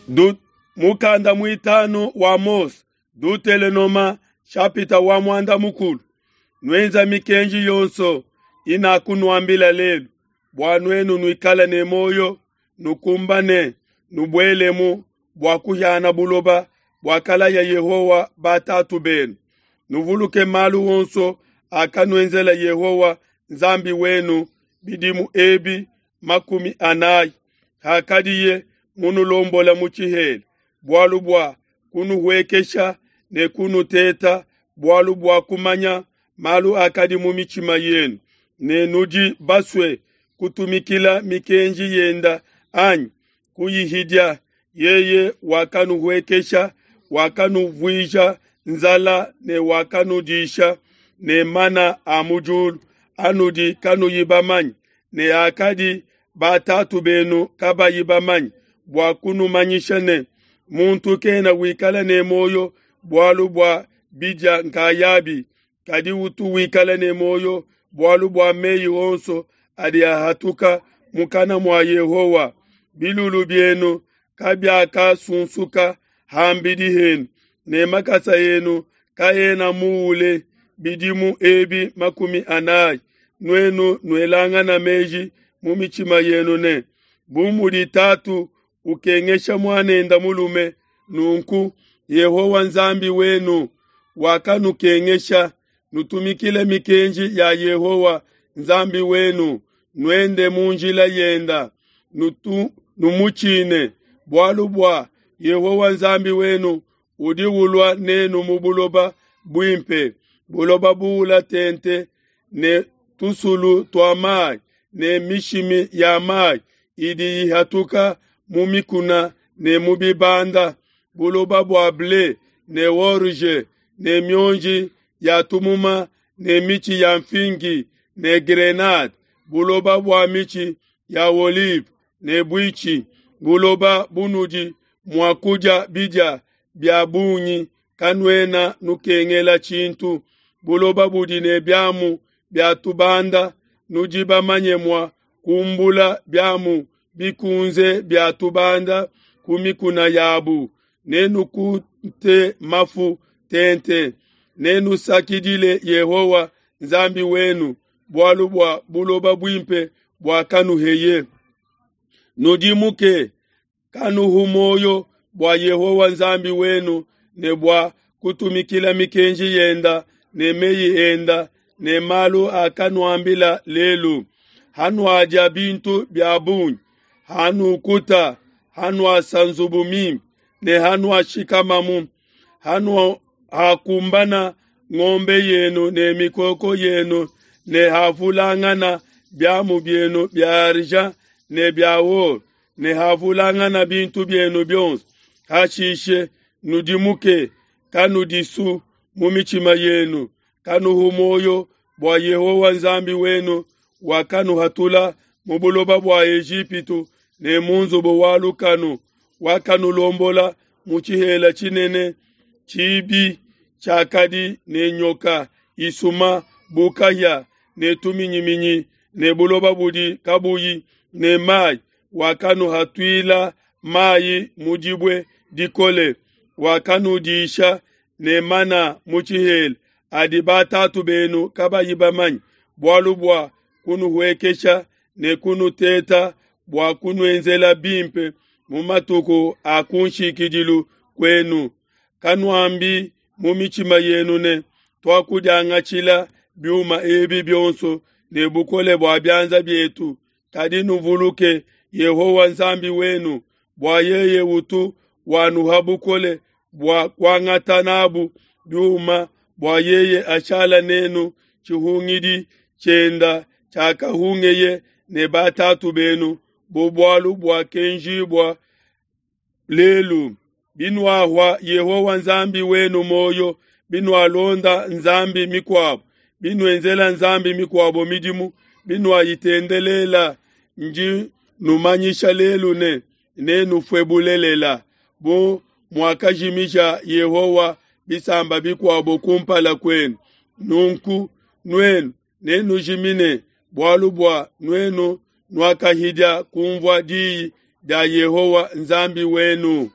Du, mukanda muitanu wa Mose, Dutelenoma shapita wa muanda mukulu. Nuenza mikenji yonso inakunuambila lelu, bua nuenu nuikale ne muoyo, nukumbane, nubuelemu bua kuhiana buloba buakalaya Yehowa batatu benu. Nuvuluke malu onso akanuenzela Yehowa Nzambi wenu bidimu ebi 40 hakadiye munulombola mu tshihela, bualu bua kunuhuekesha ne kunuteta, bualu bua kumanya malu akadi mu mitshima yenu, ne nudi basue kutumikila mikenji yenda anyi kuyihidia. Yeye wakanuhuekesha, wakanuvuija nzala ne wakanudisha ne mana a mu diulu anudi kanuyi bamanye, ne akadi batatu benu kabayi bamanye, bua kunumanyisha ne, muntu kena wikala ne muoyo bualu bua bidia nkayabi, kadi utu wikala ne muoyo bualu bua meyi onso adi ahatuka mukana mua Yehowa. Bilulu bienu kabiakasunsuka ham'bidi henu, ne makasa enu kaena muule bidimu ebi 40. Nuenu nuelangana meji mu mitshima yenu ne, bu mudi tatu ukengesha muanende mulume, nunku Yehowa Nzambi wenu wakanukengesha. Nutumikile mikenji ya Yehowa Nzambi wenu, nuende mu njila yenda, numutshine, bualu bua Yehowa Nzambi wenu udi ulua nenu mu buloba buimpe, buloba buula tente ne tusulu tua mayi ne mishimi ya mayi idi ihatuka mu mikuna ne mu bibanda, buloba bua ble ne orge ne mionji ya tumuma ne mitshi ya mfingi ne grenade, buloba bua mitshi ya olive ne buitshi, buloba bunudi mua kudia bidia bia bungi, kanuena nukengela tshintu, buloba budi ne biamu bia tubanda, nudi bamanye mua kumbula biamu bikunze bia tubanda ku mikuna yabu, nenukute mafu tente, nenusakidile Yehowa Nzambi wenu bualu bua buloba buimpe buakanuheye. Nudimuke, kanuhu muoyo bua Yehowa Nzambi wenu ne bua kutumikila mikenji yenda ne meyi enda ne malu akanuambila lelu. Hanuadia bintu bia bungi, hanukuta, hanuasa nzubu mimpe ne hanuashikamamu, hakumbana ng'ombe yenu ne mikoko yenu ne havulangana biamu bienu bia argent ne bia or ne havulangana bintu bienu bionso, hashishe nudimuke, kanudisu mu mitshima yenu, kanuhu muoyo bua Yehowa Nzambi wenu wakanuhatula mu buloba bua Ejipitu ne mu nzubu wa lukanu, wakanulombola mu tshihela tshinene tshibi tshiakadi ne nyoka isuma bu kahia ne tuminyiminyi ne buloba budi kabuyi ne mayi, wakanuhatuila mayi mu dibue dikole, wakanudisha ne mana mu tshihela adi batatu benu kabayi bamanye, bualu bua kunuhuekesha ne kunuteta bua kunuenzela bimpe mu matuku a kunshikidilu kuenu. Kanuambi mu mitshima yenu ne, tuakudiangatshila biuma ebi bionso ne bukole bua bianza bietu, kadi nuvuluke Yehowa Nzambi wenu, bua yeye utu wanuha bukole bua kuangata nabu biuma, bua yeye ashala nenu tshihungidi tshienda tshiakahungeye ne batatu benu, bu bualu buakenjibua lelu. Binuahua Yehowa Nzambi wenu muoyo, binualonda nzambi mikuabo, binuenzela nzambi mikuabo midimu, binuayitendelela, ndi numanyisha lelu ne, nenufue bulelela, bu muakajimija Yehowa bisamba bikuabo kumpala kuenu. Nunku nuenu nenujimine, bualu bua nuenu nuakahidia kunvua diyi dia Yehowa Nzambi wenu.